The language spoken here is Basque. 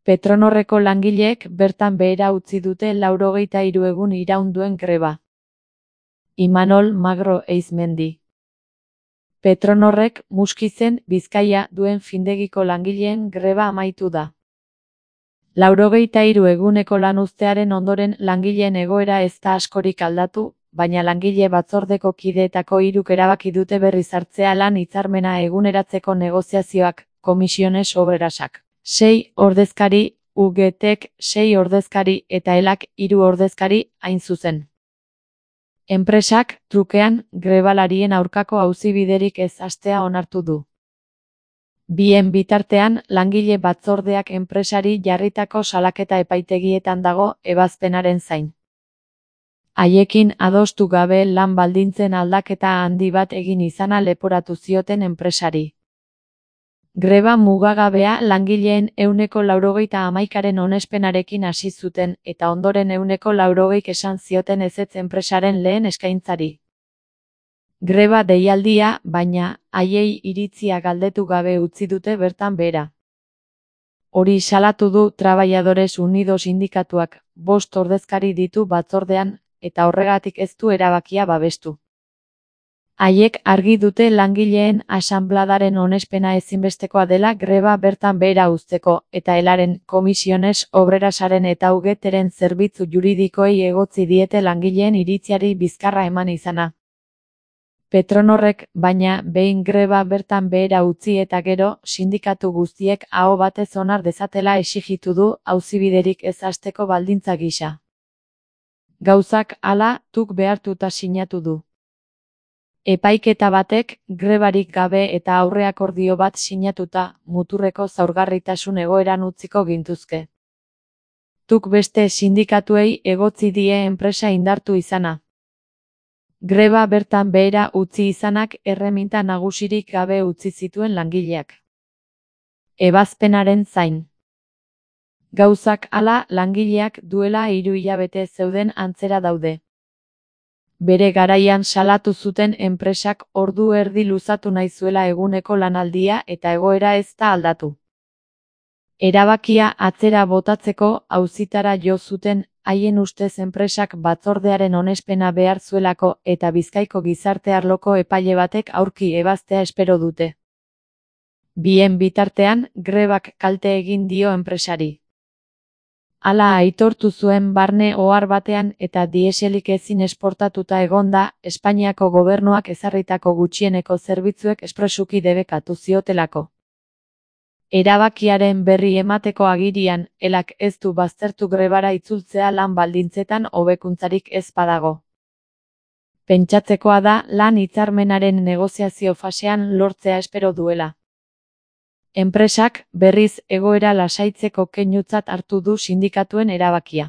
Petronorreko langileek bertan behera utzi dute 83 egun iraun duen greba. Imanol Magro Eizmendi. Petronorrek Muskizen, Bizkaia duen findegiko langileen greba amaitu da. 83 eguneko lanuztearen ondoren langileen egoera ez da askorik aldatu, baina langile batzordeko kideetako 3 erabaki dute berriz hartzea lan hitzarmena eguneratzeko negoziazioak, Comisiones Obrerasak. 6 ordezkari, UGTek 6 ordezkari eta ELAK 3 ordezkari, hain zuzen. Enpresak, trukean, grebalarien aurkako auzibiderik ez hastea onartu du. Bien bitartean, langile batzordeak enpresari jarritako salaketa epaitegietan dago ebazpenaren zain. Haiekin adostu gabe lan baldintzen aldaketa handi bat egin izana leporatu zioten enpresari. Greba mugagabea langileen 91%aren onespenarekin hasi zuten eta ondoren 180% esan zioten ezetz enpresaren lehen eskaintzari. Greba deialdia, baina, haiei iritzia galdetu gabe utzi dute bertan behera. Hori salatu du Trabajadores Unidos sindikatuak, 5 ordezkari ditu batzordean, eta horregatik ez du erabakia babestu. Haiek argi dute langileen asanbladaren onespena ezinbestekoa dela greba bertan behera uzteko, eta ELAren, Comisiones Obrerasaren eta UGTren zerbitzu juridikoei egotzi diete langileen iritziari bizkarra eman izana. Petronorrek, baina, behin greba bertan behera utzi eta gero, sindikatu guztiek aho batez onar dezatela exijitu du auzibiderik ez hasteko baldintza gisa. Gauzak hala, tuk behartuta sinatu du. Epaiketa batek, grebarik gabe eta aurreakordio bat sinatuta, muturreko zaurgarritasun egoeran utziko gintuzke. Tuk beste sindikatuei egotzi die enpresa indartu izana. Greba bertan behera utzi izanak erreminta nagusirik gabe utzi zituen langileak. Ebazpenaren zain. Gauzak hala, langileak duela 3 hilabete zeuden antzera daude. Bere garaian salatu zuten enpresak ordu erdi luzatu nahi zuela eguneko lanaldia eta egoera ez da aldatu. Erabakia atzera botatzeko auzitara jo zuten, haien ustez enpresak batzordearen onespena behar zuelako eta Bizkaiko gizarte arloko epaile batek aurki ebaztea espero dute. Bien bitartean, grebak kalte egin dio enpresari. Hala aitortu zuen barne ohar batean eta dieselik ezin esportatuta egonda, Espainiako gobernuak ezarritako gutxieneko zerbitzuek espresuki debekatu ziotelako. Erabakiaren berri emateko agirian, ELAK ez du baztertu grebara itzultzea lan baldintzetan hobekuntzarik ez badago. Pentsatzekoa da lan hitzarmenaren negoziazio fasean lortzea espero duela. Enpresak, berriz, egoera lasaitzeko keinutzat hartu du sindikatuen erabakia.